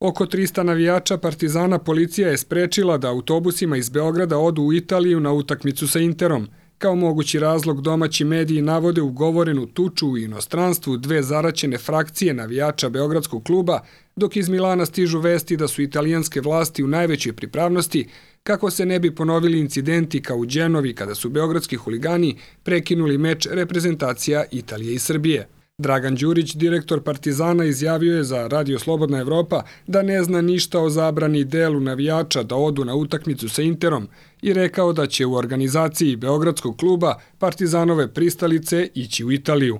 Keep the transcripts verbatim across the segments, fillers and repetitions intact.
Oko trista navijača Partizana policija je sprečila da autobusima iz Beograda odu u Italiju na utakmicu sa Interom. Kao mogući razlog domaći mediji navode ugovorenu tuču u inostranstvu dve zaraćene frakcije navijača Beogradskog kluba, dok iz Milana stižu vesti da su italijanske vlasti u najvećoj pripravnosti kako se ne bi ponovili incidenti kao u Đenovi kada su beogradski huligani prekinuli meč reprezentacija Italije i Srbije. Dragan Đurić, direktor Partizana, izjavio je za Radio Slobodna Evropa da ne zna ništa o zabrani delu navijača da odu na utakmicu sa Interom i rekao da će u organizaciji Beogradskog kluba Partizanove pristalice ići u Italiju.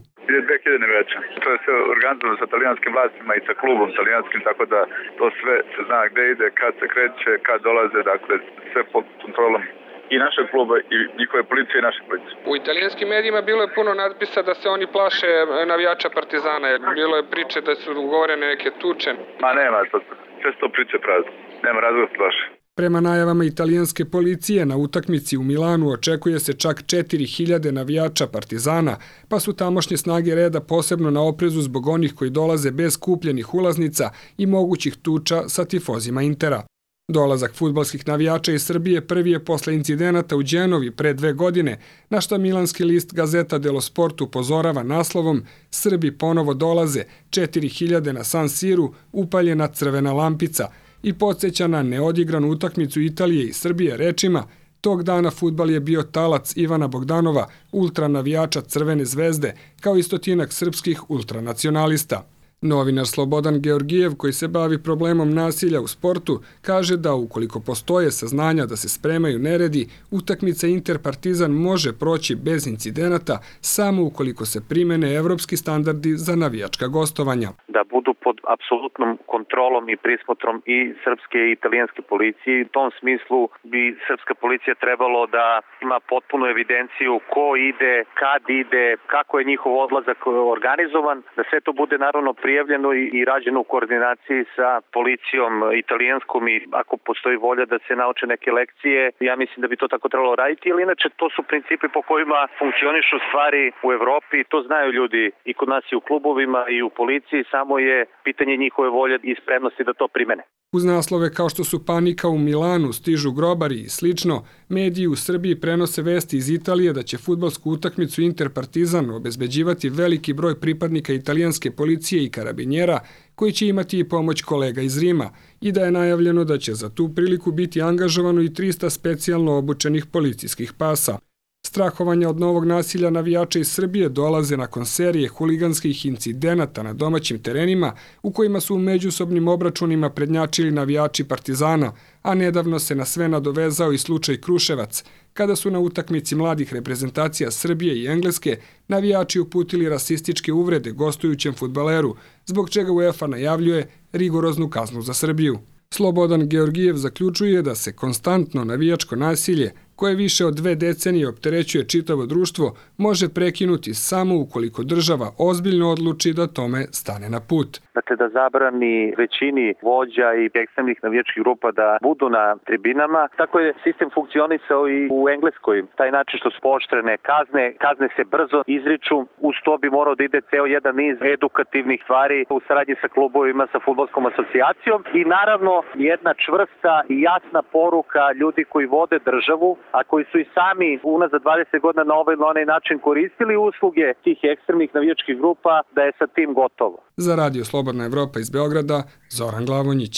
dve hiljade navijača. To je sve organizovano sa talijanskim vlastima i sa klubom talijanskim, tako da to sve se zna gde ide, kad se kreće, kad dolaze, dakle sve pod kontrolom i našeg kluba i njihove policije i naše policije. U italijanskim medijima bilo je puno natpisa da se oni plaše navijača Partizana, jer bilo je priče da su ugovorene neke tuče. Ma nema, to, sve to priče prazne. Nema razloga da se plaše. Prema najavama italijanske policije, na utakmici u Milanu očekuje se čak četiri hiljade navijača Partizana, pa su tamošnje snage reda posebno na oprezu zbog onih koji dolaze bez kupljenih ulaznica i mogućih tuča sa tifozima Intera. Dolazak fudbalskih navijača iz Srbije prvi je posle incidenata u Đenovi pre dve godine, na što milanski list Gazeta dello Sport upozorava naslovom "Srbi ponovo dolaze, četiri hiljade na San Siru, upaljena crvena lampica" i podsjeća na neodigranu utakmicu Italije i Srbije rečima "Tog dana fudbal je bio talac Ivana Bogdanova, ultranavijača Crvene zvezde, kao i stotinak srpskih ultranacionalista." Novinar Slobodan Georgijev, koji se bavi problemom nasilja u sportu, kaže da ukoliko postoje saznanja da se spremaju neredi, utakmica Inter-Partizan može proći bez incidenata samo ukoliko se primene evropski standardi za navijačka gostovanja. Da budu pod apsolutnom kontrolom i prismotrom i srpske i italijanske policije. U tom smislu bi srpska policija trebalo da ima potpunu evidenciju ko ide, kad ide, kako je njihov odlazak organizovan, da sve to bude naravno prijavljeno i rađeno u koordinaciji sa policijom italijanskom i ako postoji volja da se nauče neke lekcije, ja mislim da bi to tako trebalo raditi, ili inače to su principi po kojima funkcionišu stvari u Evropi, to znaju ljudi i kod nas i u klubovima i u policiji, samo je pitanje njihove volje i spremnosti da to primene. Uz naslove kao što su "Panika u Milanu", "Stižu grobari" i slično, mediji u Srbiji prenose vesti iz Italije da će fudbalsku utakmicu Inter-Partizan obezbeđivati veliki broj pripadnika italijanske policije i karabinjera, koji će imati i pomoć kolega iz Rima, i da je najavljeno da će za tu priliku biti angažovano i trista specijalno obučenih policijskih pasa. Strahovanja od novog nasilja navijača iz Srbije dolaze nakon serije huliganskih incidenata na domaćim terenima u kojima su u međusobnim obračunima prednjačili navijači Partizana, a nedavno se na sve nadovezao i slučaj Kruševac, kada su na utakmici mladih reprezentacija Srbije i Engleske navijači uputili rasističke uvrede gostujućem fudbaleru, zbog čega UEFA najavljuje rigoroznu kaznu za Srbiju. Slobodan Georgijev zaključuje da se konstantno navijačko nasilje, koje više od dve decenije opterećuje čitavo društvo, može prekinuti samo ukoliko država ozbiljno odluči da tome stane na put. Dakle, da zabrani većini vođa i ekstremnih navijačkih grupa da budu na tribinama. Tako je sistem funkcionisao i u Engleskoj. Taj način što su pooštrene kazne, kazne se brzo izriču, uz to bi morao da ide ceo jedan niz edukativnih stvari u saradnji sa klubovima, sa fudbalskom asocijacijom i naravno jedna čvrsta i jasna poruka ljudi koji vode državu, a koji su i sami unazad dvadeset godina na ovaj ili onaj način koristili usluge tih ekstremnih navijačkih grupa, da je sa tim gotovo. Za Radio Slobodna Evropa iz Beograda, Zoran Glavonjić.